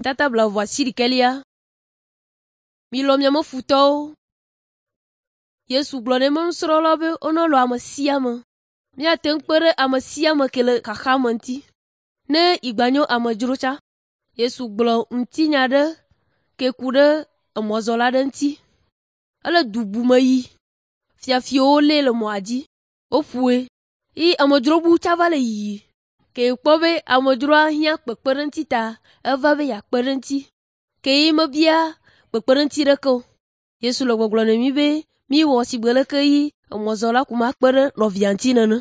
Tata 28. Milɔ̃ miame futɔwo. Yesu gblɔ na eƒe nusrɔ̃lawo be wonelɔ̃ ame sia ame. Míate ŋu kpe ɖe ame sia ame ke le xaxa me ŋuti, ne igba nye amedzro tsã. Yesu gblɔ ŋutinya aɖe ke ku ɖe emɔzɔla aɖe ŋuti. Ele du bu me yi. Fiafiwo lée le mɔa dzi. Woƒoe eye amedzro bu tsã va le yiyi. Ke wòkpɔ be amedzroa hiã kpekpeɖeŋuti ta eva be yeakpe ɖe eŋuti. Ke ye mebia kpekpeɖeŋuti ɖeke o. Yesu le gbɔgblɔ na mí be míwɔ sigbe leke yi emɔzɔla ko makpe ɖe nɔvia ŋuti nene.